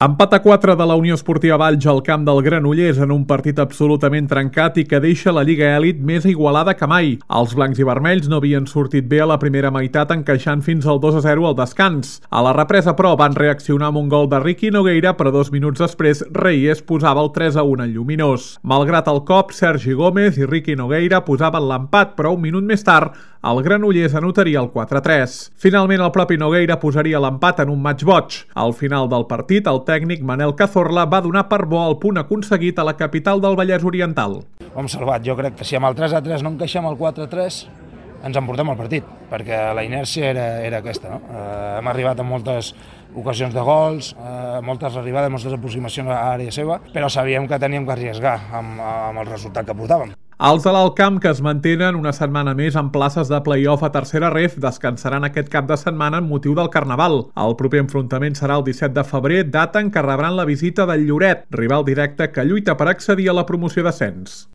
Empat a 4 de la Unió Esportiva Valls al camp del Granollers en un partit absolutament trencat i que deixa la Lliga Elit més igualada que mai. Els blancs i vermells no havien sortit bé a la primera meitat, encaixant fins al 2-0 al descans. A la represa, però, van reaccionar amb un gol de Ricky Nogueira, però 2 minuts després Reyes posava el 3-1 en lluminós. Malgrat el cop, Sergi Gómez i Ricky Nogueira posaven l'empat, però un minut més tard el Granollers anotaria el 4-3. Finalment, el propi Nogueira posaria l'empat en un match boig. Al final del partit, el tècnic Manel Cazorla va donar per bo el punt aconseguit a la capital del Vallès Oriental. Ho hem salvat. Jo crec que si amb el 3-3 no encaixem el 4-3 ens emportem el partit, perquè la inèrcia era aquesta. No? Hem arribat a moltes ocasions de gols, moltes arribades, moltes aproximacions a l'àrea seva, però sabíem que teníem que arriesgar amb el resultat que portàvem. Els de l'Alt Camp, que es mantenen una setmana més en places de play-off a tercera ref, descansaran aquest cap de setmana en motiu del Carnaval. El proper enfrontament serà el 17 de febrer, data en què rebran la visita del Lloret, rival directe que lluita per accedir a la promoció d'ascens.